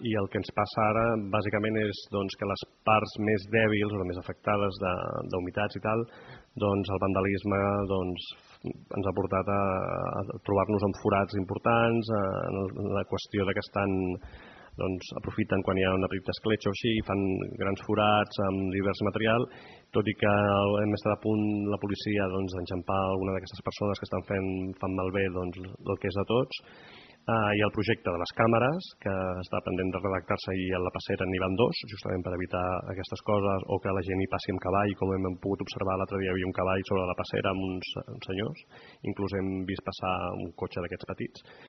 i el que ens passa ara bàsicament és que les parts més dèbils o més afectades d'humitats i tal, el vandalisme ens ha portat a trobar-nos amb forats importants, en la qüestió que estan aprofiten quan hi ha una petita escletxa o així i fan grans forats amb divers material, tot i que hem estat a punt la policia d'enxampar alguna d'aquestes persones que fan malbé el que és de tots. Hi ha el projecte de les càmeres, que està pendent de redactar-se i a la passera n'hi van 2, justament per evitar aquestes coses, o que la gent hi passi amb cavall, com hem pogut observar l'altre dia, hi havia un cavall sobre la passera amb uns senyors, inclús hem vist passar un cotxe d'aquests petits.